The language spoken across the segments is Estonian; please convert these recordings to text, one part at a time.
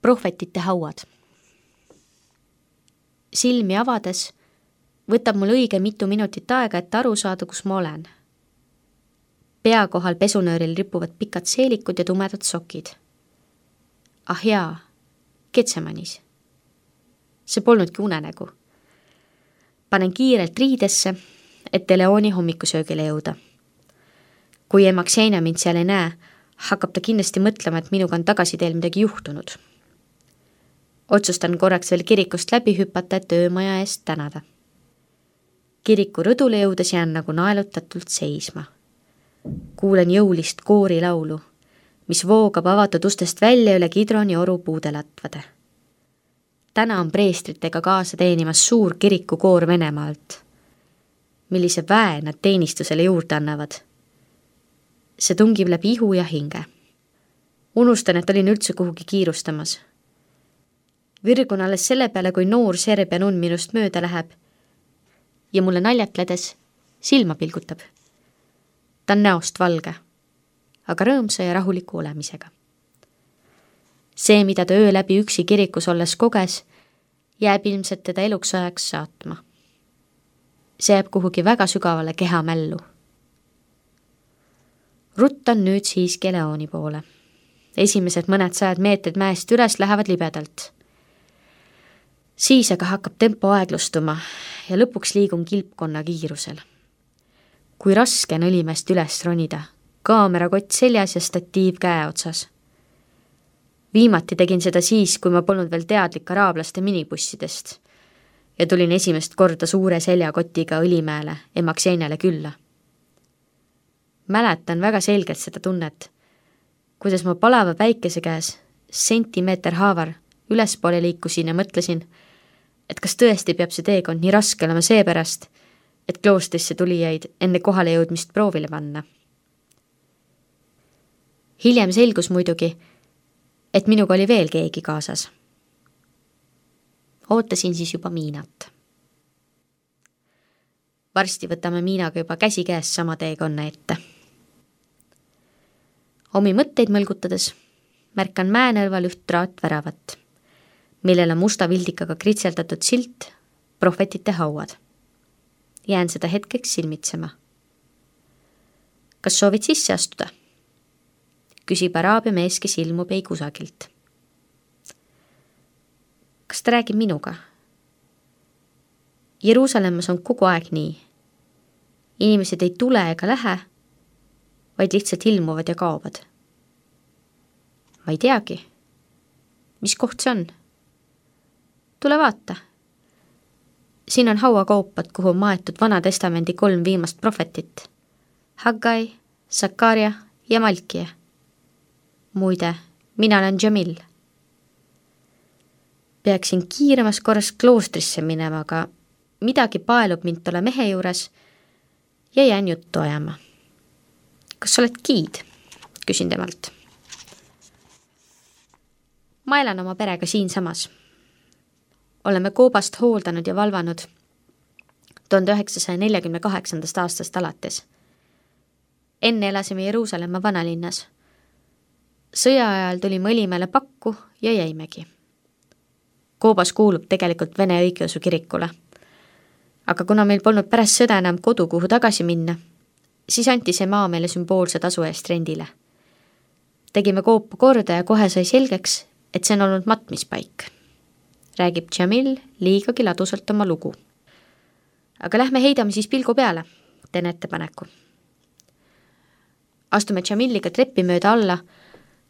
Prohvetite hauad. Silmi avades võtab mul õige mitu minutit aega, et aru saada, kus ma olen. Pea kohal pesunööril ripuvad pikad seelikud ja tumedad sokid. Ah jaa, Getsemanis. See polnudki unenägu. Panen kiirelt riidesse, et Leoni hommikusöögile jõuda. Kui ema Xenia mind seal ei näe, hakkab ta kindlasti mõtlema, et minuga on tagasiteel midagi juhtunud. Otsustan korraks veel kirikust läbi hüpata, et öömaja eest tänada. Kiriku rõdule jõudes jään nagu naelutatult seisma. Kuulen jõulist koorilaulu, mis voogab avatud ustest välja üle Kidroni oru puudelatvade. Täna on preestritega kaasa teenimas suur kirikukoor Venemaalt. Millise väe nad teenistusele juurde annavad. See tungib läbi ihu ja hinge. Unustan, et olin üldse kuhugi kiirustamas. Virgun alles selle peale, kui noor Serbia nunn minust mööda läheb ja mulle naljatledes silma pilgutab. Ta on näost valge, aga rõõmsa ja rahuliku olemisega. See, mida ta öö läbi üksi kirikus olles koges, jääb ilmselt teda eluks ajaks saatma. See jääb kuhugi väga sügavale kehamällu. Ruttan nüüd siiski Leoni poole. Esimesed mõned 100 meetrid mäest üles lähevad libedalt. Siis aga hakkab tempo aeglustuma ja lõpuks liigun kilpkonna kiirusel. Kui raske on õlimäest üles ronida, kaamerakott seljas ja statiiv käe otsas. Viimati tegin seda siis, kui ma polnud veel teadlik araablaste minibussidest ja tulin esimest korda suure seljakotiga Õlimäele ema Xeniale külla. Mäletan väga selgelt seda tunnet, kuidas ma palava päikese käes sentimeeter haavar ülespoole liikusin ja mõtlesin, et kas tõesti peab see teekond nii raske olema seepärast, et kloostrisse tulijaid enne kohale jõudmist proovile panna. Hiljem selgus muidugi, et minuga oli veel keegi kaasas. Ootasin siis juba Miinat. Varsti võtame Miinaga juba käsi käes sama teekonna ette. Omi mõtteid mõlgutades märkan mäenõlval üht traatväravat, millel on musta vildikaga kritseldatud silt Prohvetite hauad. Jään seda hetkeks silmitsema. Kas soovid sisse astuda? Küsib araabia mees, kes ilmub ei kusagilt. Kas ta räägib minuga? Jeruusalemmas on kogu aeg nii. Inimesed ei tule ega lähe, vaid lihtsalt ilmuvad ja kaovad. Ma ei teagi. Mis koht see on? Tule vaata. Siin on hauakoopad, kuhu on maetud Vana Testamendi 3 viimast prohvetit. Haggai, Sakaria ja Malkia. Muide, mina olen Jamil. Peaksin kiiremas korras kloostrisse minema, aga midagi paelub mind tolle mehe juures ja jään juttu ajama. Kas sa oled giid? Küsin temalt. Ma elan oma perega siinsamas. Oleme koobast hooldanud ja valvanud 1948. aastast alates. Enne elasime Jeruusalemma vanalinnas. Sõja ajal tulime Õlimäele pakku ja jäimegi. Koobas kuulub tegelikult Vene õigeusu kirikule. Aga kuna meil polnud pärast sõda enam kodu, kuhu tagasi minna, siis anti see maa meile sümboolse tasu eest rendile. Tegime koopu korda ja kohe sai selgeks, et see on olnud matmispaik. Räägib Jamil liigagi ladusalt oma lugu. Aga lähme heidame siis pilgu peale, teen ettepaneku. Astume Jamiliga treppi mööda alla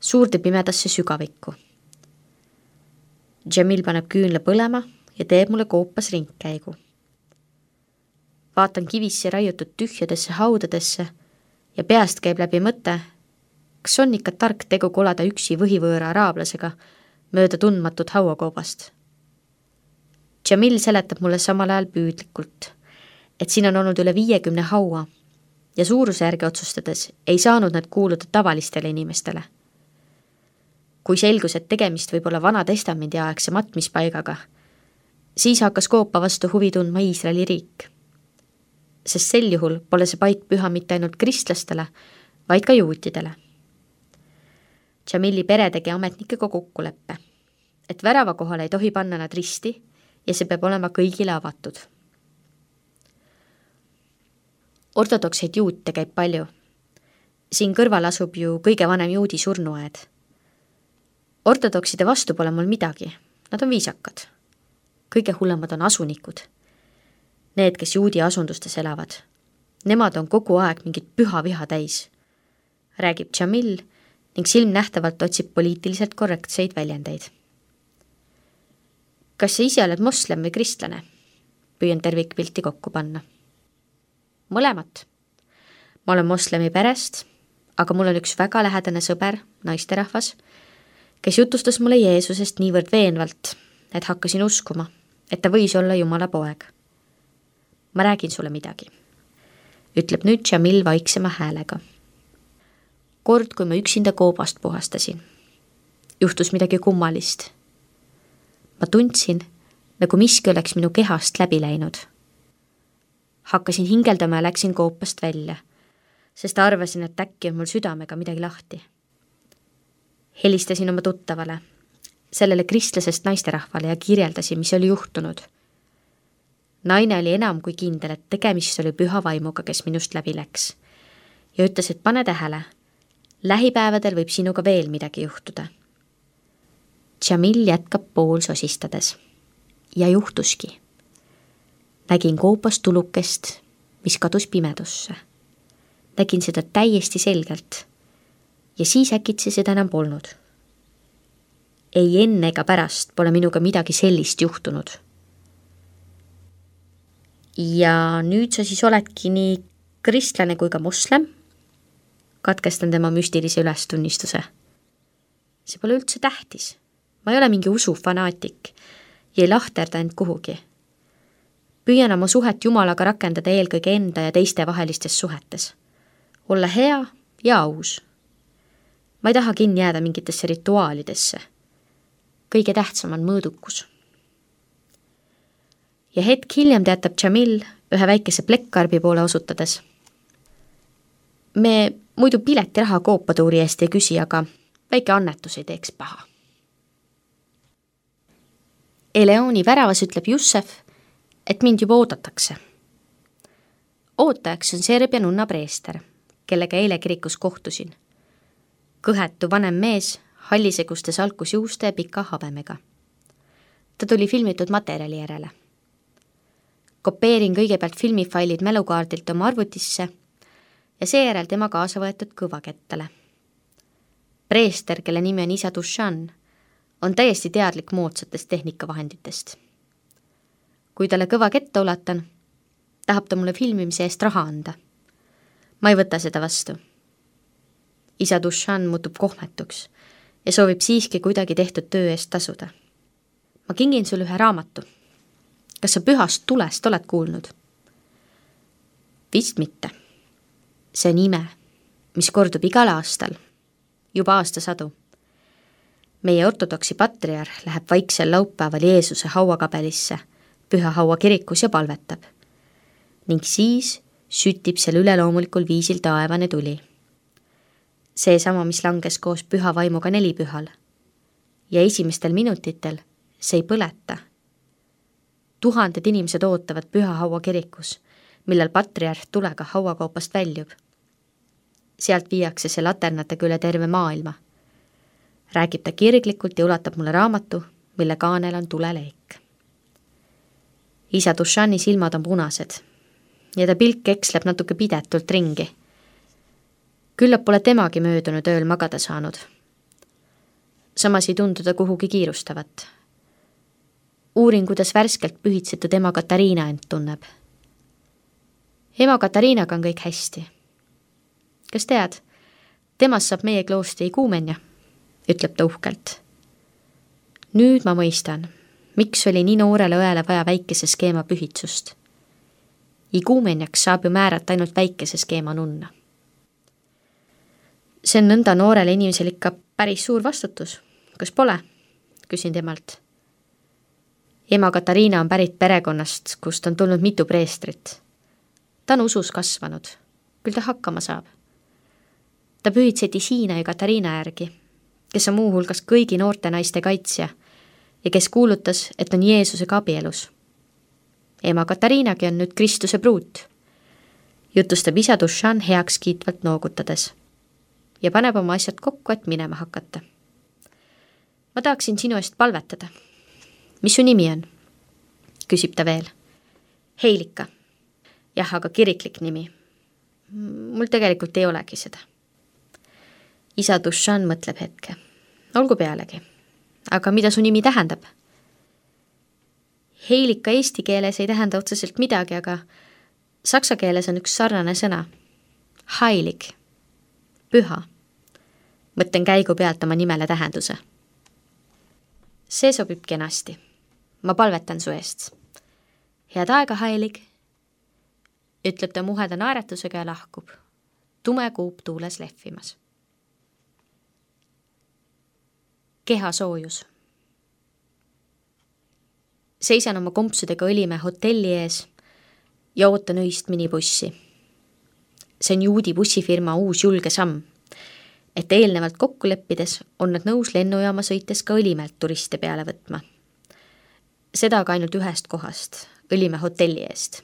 suurde pimedasse sügavikku. Jamil paneb küünla põlema ja teeb mulle koopas ringkäigu. Vaatan kivisse raiutud tühjadesse haudadesse ja peast käib läbi mõte, kas on ikka tark tegu kolada üksi võhivõõra araablasega mööda tundmatut hauakoobast. Jamil seletab mulle samal ajal püüdlikult, et siin on olnud üle 50 haua ja suuruse järgi otsustades ei saanud nad kuuluda tavalistele inimestele. Kui selgus, et tegemist võib olla Vana Testamendi aegse matmispaigaga, siis hakkas koopa vastu huvi tundma Iisraeli riik. Sest sel juhul pole see paik püha mitte ainult kristlastele, vaid ka juutidele. Jamili pere tegi ametnikega kokkuleppe. et värava kohale ei tohi panna nad risti ja see peab olema kõigile avatud. Ortodokseid juute käib palju. Siin kõrval asub ju kõige vanem juudi surnuaed. Ortodokside vastu pole mul midagi, nad on viisakad. Kõige hullemad on asunikud. Need, kes juudi asundustes elavad. Nemad on kogu aeg mingit püha viha täis. Räägib Jamil ning silmnähtavalt otsib poliitiliselt korrektseid väljendeid. Kas sa ise oled moslem või kristlane? Püüan tervikpilti kokku panna. Mõlemat. Ma olen moslemi perest, aga mul on üks väga lähedane sõber, naisterahvas, kes jutustas mulle Jeesusest niivõrd veenvalt, et hakkasin uskuma, et ta võis olla Jumala poeg. Ma räägin sulle midagi, ütleb nüüd Jamil vaiksema häälega. Kord, kui ma üksinda koobast puhastasin, juhtus midagi kummalist. Ma tundsin, nagu miski oleks minu kehast läbi läinud. Hakkasin hingeldama ja läksin koopast välja, sest arvasin, et äkki on mul südamega midagi lahti. Helistasin oma tuttavale, sellele kristlasest naisterahvale ja kirjeldasin, mis oli juhtunud. Naine oli enam kui kindel, et tegemist oli püha vaimuga, kes minust läbi läks ja ütles, et pane tähele, lähipäevadel võib sinuga veel midagi juhtuda. Jamil jätkab pool sosistades ja juhtuski. Nägin koopast tulukest, mis kadus pimedusse. Nägin seda täiesti selgelt ja siis äkitsi seda enam polnud. Ei enne ega pärast pole minuga midagi sellist juhtunud. Ja nüüd sa siis oledki nii kristlane kui ka moslem? Katkestan tema müstilise ülestunnistuse. See pole üldse tähtis. Ma ei ole mingi usufanaatik ja ei lahterda end kuhugi. Püüan oma suhet Jumalaga rakendada eelkõige enda ja teiste vahelistes suhetes. Olla hea ja aus. Ma ei taha kinni jääda mingitesse rituaalidesse. Kõige tähtsam on mõõdukus. Ja hetk hiljem teatab Jamil ühe väikese plekkkarbi poole osutades. Me muidu piletiraha koopatuuri eest ei küsi, aga väike annetus ei teeks paha. Eleoni väravas ütleb Jussef, et mind juba oodatakse. Ootajaks on Serbia nunna preester, kellega eile kirikus kohtusin. Kõhetu vanem mees, halliseguste salkusjuuste ja pika habemega. Ta tuli filmitud materjali järele. Kopeerin kõigepealt filmifailid mälukaardilt oma arvutisse ja seejärel tema kaasa võetud kõvakettale. Preester, kelle nimi on isa Dushan, on täiesti teadlik moodsatest tehnikavahenditest. Kui talle kõva ketta ulatan, tahab ta mulle filmimise eest raha anda. Ma ei võta seda vastu. Isa Dushan muutub kohmetuks ja soovib siiski kuidagi tehtud töö eest tasuda. Ma kingin sulle ühe raamatu. Kas sa pühast tulest oled kuulnud? Vist mitte. See on ime, mis kordub igal aastal, juba aastasadu. Meie ortodoksi patriarh läheb vaiksel laupäeval Jeesuse hauakabelisse, püha haua kirikus ja palvetab. Ning siis sütib seal üleloomulikul viisil taevane tuli. See sama, mis langes koos püha vaimuga nelipühal. Ja esimestel minutitel see ei põleta. Tuhanded inimesed ootavad püha haua kirikus, millal patriarh tulega hauakoopast väljub. Sealt viiakse see laternatega üle terve maailma. Räägib ta kirglikult ja ulatab mulle raamatu, mille kaanel on tuleleek. Isa Dushani silmad on punased ja ta pilk eksleb natuke pidetult ringi. Küllap pole temagi möödunud ööl magada saanud. Samas ei tundu ta kuhugi kiirustavat. Uurin, kuidas värskelt pühitsetud ema Katariina end tunneb. Ema Katariinaga on kõik hästi. Kas tead, temast saab meie kloostri iguumenja, ütleb ta uhkelt. Nüüd ma mõistan, miks oli nii noorele õele vaja väikese skeema pühitsust. Iguumenjaks saab ju määrata ainult väikese skeema nunna. See on nõnda noorele inimesel ikka päris suur vastutus. Kas pole? Küsin temalt. Ema Katariina on pärit perekonnast, kust on tulnud mitu preestrit. Ta on usus kasvanud. Küll ta hakkama saab. Ta pühitseti Siina ja Katariina järgi, kes on muu hulgas kõigi noorte naiste kaitsja ja kes kuulutas, et on Jeesusega abielus. Ema Katariinagi on nüüd Kristuse pruut, jutustab isa Dušan heakskiitvalt noogutades ja paneb oma asjad kokku, et minema hakata. Ma tahaksin sinu eest palvetada. Mis su nimi on? Küsib ta veel. Heilika. Jah, aga kiriklik nimi. Mul tegelikult ei olegi seda. Isa Dušan mõtleb hetke. Olgu pealegi. Aga mida su nimi tähendab? Heilika eesti keeles ei tähenda otseselt midagi, aga saksa keeles on üks sarnane sõna. Heilig. Püha. Mõtlen käigu pealt oma nimele tähenduse. See sobib kenasti. Ma palvetan su eest. Head aega, Heilig, ütleb ta muheda naeratusega ja lahkub. Tume kuup tuules lehvimas. Kehasoojus. Seisan oma kompsudega Õlimäe hotelli ees ja ootan öist minibussi. See on juudi bussifirma uus julge samm, et eelnevalt kokku leppides on nad nõus lennujaama sõites ka Õlimäelt turiste peale võtma. Seda aga ainult ühest kohast, Õlimäe hotelli eest.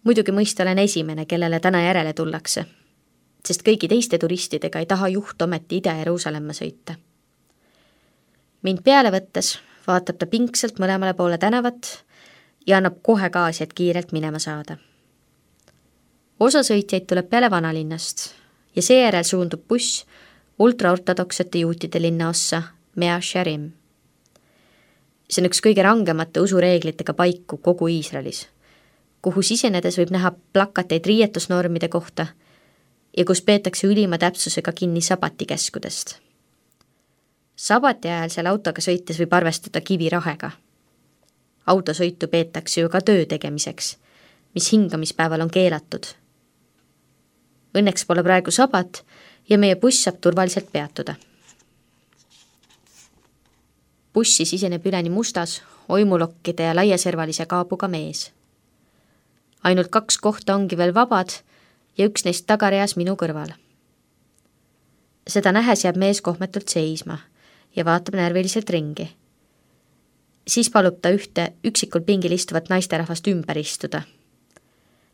Muidugi mõista olen esimene, kellele täna järele tullakse, sest kõigi teiste turistidega ei taha juht ometi Ida-Jeruusalemma sõita. Mind peale võttes vaatab ta pingsalt mõlemale poole tänavat ja annab kohe gaasi, et kiirelt minema saada. Osa sõitjaid tuleb peale vanalinnast ja seejärel suundub buss ultraortodoksete juutide linnaossa Mea Shearim. See on üks kõige rangemate usureeglitega paiku kogu Iisraelis, kuhu sisenedes võib näha plakateid riietusnormide kohta ja kus peetakse ülima täpsusega kinni sabatikeskudest. Sabati ajal seal autoga sõites võib arvestada kivirahega. Autosõitu peetakse ju ka töö tegemiseks, mis hingamispäeval on keelatud. Õnneks pole praegu sabat ja meie buss saab turvaliselt peatuda. Bussi siseneb üleni mustas, oimulokkide ja laiaservalise kaabuga mees. Ainult 2 kohta ongi veel vabad ja üks neist tagareas minu kõrval. Seda nähes jääb mees kohmetult seisma ja vaatab närviliselt ringi. Siis palub ta ühte üksikul pingil istuvat naisterahvast ümber istuda,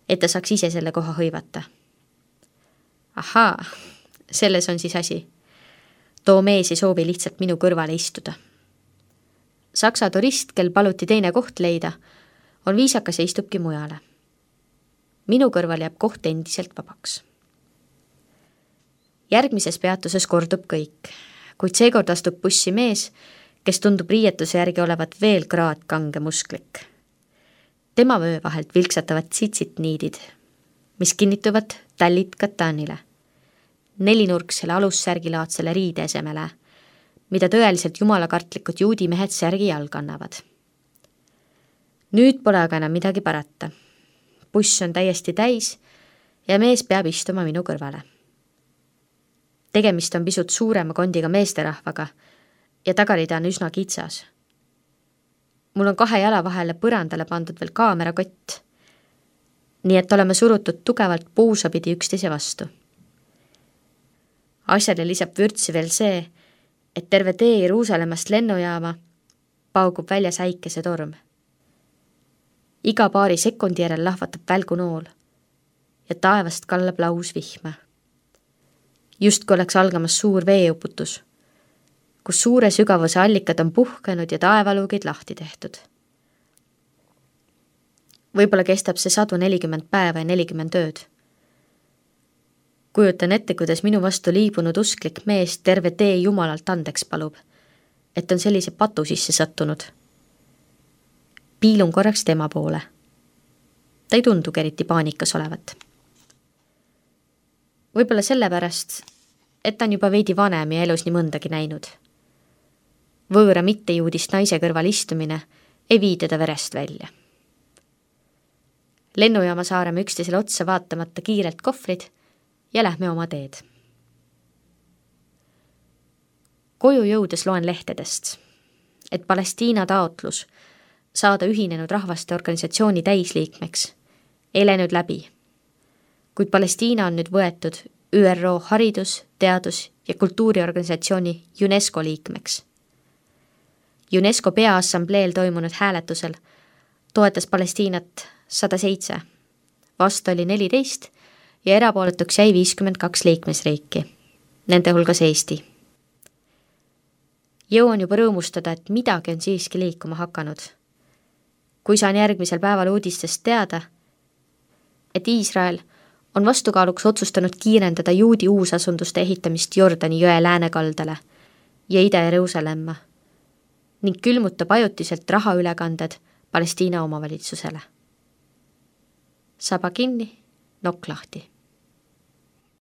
et ta saaks ise selle koha hõivata. Ahaa, selles on siis asi. Too mees ei soovi lihtsalt minu kõrvale istuda. Saksa turist, kel paluti teine koht leida, on viisakas ja istubki mujale. Minu kõrval jääb koht endiselt vabaks. Järgmises peatuses kordub kõik, kuid seekord astub bussi mees, kes tundub riietuse järgi olevat veel kraadkange musklik. Tema vöö vahelt vilksatavad tsitsitniidid, mis kinnituvad tallit katanile, 4-nurksele alussärgilaadsele riideesemele, mida tõeliselt jumalakartlikud juudi mehed särgi jalg annavad. Nüüd pole aga enam midagi parata. Buss on täiesti täis ja mees peab istuma minu kõrvale. Tegemist on pisut suurema kondiga meesterahvaga ja tagarida on üsna kitsas. Mul on 2 jala vahele põrandale pandud veel kaamerakott, nii et oleme surutud tugevalt puusapidi üksteise vastu. Asjale lisab vürtsi veel see, et terve tee Jeruusalemmast lennujaama paugub väljas äikesetorm. Iga paari sekundi järel lahvatab välgunool ja taevast kallab laus vihma. Just kui oleks algamas suur veeuputus, kus suure sügavuse allikad on puhkenud ja taevalugid lahti tehtud. Võib-olla kestab see 140 päeva ja 40 ööd. Kujutan ette, kuidas minu vastu liibunud usklik mees terve tee jumalalt andeks palub, et on sellise patu sisse sattunud. Piilun korraks tema poole. Ta ei tundugi eriti paanikas olevat. Võib-olla sellepärast, et ta on juba veidi vanem ja elus nii mõndagi näinud. Võõra mittejuudist naise kõrval istumine ei vii teda verest välja. Lennujaama saareme üksteisele otsa vaatamata kiirelt kohvrid ja lähme oma teed. Koju jõudes loen lehtedest, et Palestiina taotlus saada Ühinenud Rahvaste Organisatsiooni täisliikmeks ei läinud läbi, kuid Palestiina on nüüd võetud ÜRO haridus-, teadus- ja kultuuriorganisatsiooni UNESCO liikmeks. UNESCO Peaassambleel toimunud hääletusel toetas Palestiinat 107, vastu oli 14 ja erapooletuks jäi 52 liikmesriiki, nende hulgas Eesti. Jõuan juba rõõmustada, et midagi on siiski liikuma hakanud. Kui saan järgmisel päeval uudistest teada, et Iisrael on vastukaaluks otsustanud kiirendada juudi uusasunduste ehitamist Jordani jõe läänekaldale ja Ida-Jeruusalemma ning külmutab ajutiselt rahaülekanded Palestiina omavalitsusele. Saba kinni, nokk lahti.